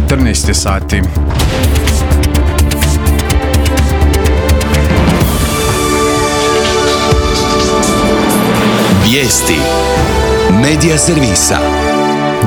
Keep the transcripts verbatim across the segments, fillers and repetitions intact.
četrnaest je sati. Vijesti Medija servisa.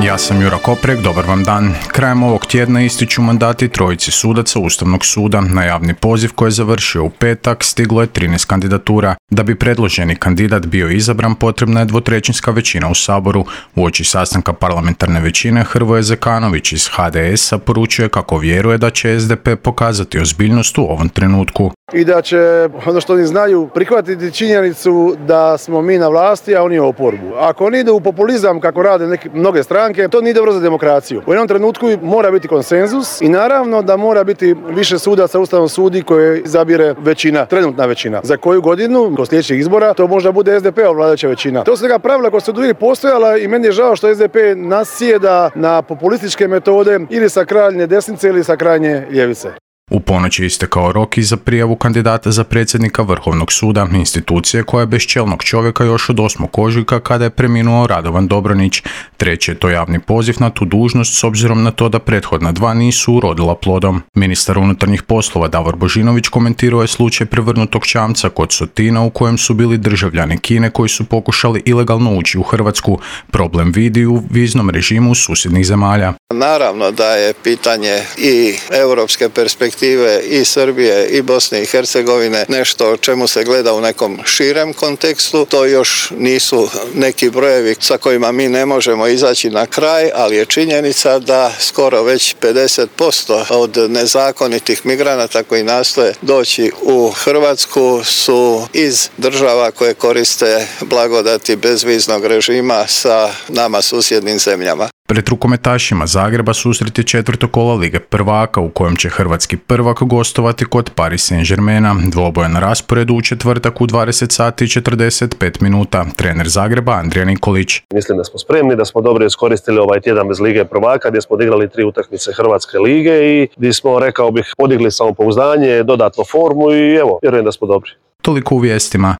Ja sam Jura Koprek, dobar vam dan. Krajem ovog tjedna ističu mandati trojici sudaca Ustavnog suda. Na javni poziv koji je završio u petak stiglo je trinaest kandidatura. Da bi predloženi kandidat bio izabran, potrebna je dvotrećinska većina u Saboru. Uoči sastanka parlamentarne većine, Hrvoje Zekanović iz ha de es a poručuje kako vjeruje da će es de pe pokazati ozbiljnost u ovom trenutku. I da će, ono što oni znaju, prihvatiti činjenicu da smo mi na vlasti, a oni u oporbu. Ako oni idu u populizam kako rade neke, mnoge stranke, to nije dobro za demokraciju. U jednom trenutku mora biti konsenzus i naravno da mora biti više sudaca Ustavnom sudi koje izabire većina, trenutna većina. Za koju godinu, kod sljedećih izbora, to možda bude es de pe vladajuća većina. To su neka pravila koja su uvijek postojala i meni je žao što es de pe nasjeda na populističke metode ili sa krajnje desnice ili sa krajnje ljevice. U ponoć je istekao rok i za prijavu kandidata za predsjednika Vrhovnog suda, institucije koja je bez čelnog čovjeka još od osmog ožujka kada je preminuo Radovan Dobronić. Treći je to javni poziv na tu dužnost s obzirom na to da prethodna dva nisu urodila plodom. Ministar unutarnjih poslova Davor Božinović komentirao je slučaj prevrnutog čamca kod Sotina u kojem su bili državljani Kine koji su pokušali ilegalno ući u Hrvatsku. Problem vidi u viznom režimu susjednih zemalja. Naravno da je pitanje i europske perspektive i Srbije i Bosne i Hercegovine nešto o čemu se gleda u nekom širem kontekstu. To još nisu neki brojevi sa kojima mi ne možemo izaći na kraj, ali je činjenica da skoro već pedeset posto od nezakonitih migranata koji nastoje doći u Hrvatsku su iz država koje koriste blagodati bezviznog režima sa nama susjednim zemljama. Pred rukometašima Zagreba susret je četvrto kola Lige prvaka u kojem će hrvatski prvak gostovati kod Paris Saint-Germaina. Dvoboj na rasporedu u četvrtak u dvadeset sati i četrdeset pet minuta. Trener Zagreba Andrija Nikolić. Mislim da smo spremni, da smo dobro iskoristili ovaj tjedan bez Lige prvaka gdje smo odigrali tri utakmice Hrvatske lige i gdje smo, rekao bih, podigli samopouzdanje, dodatno formu i evo, vjerujem da smo dobri. Toliko u vijestima.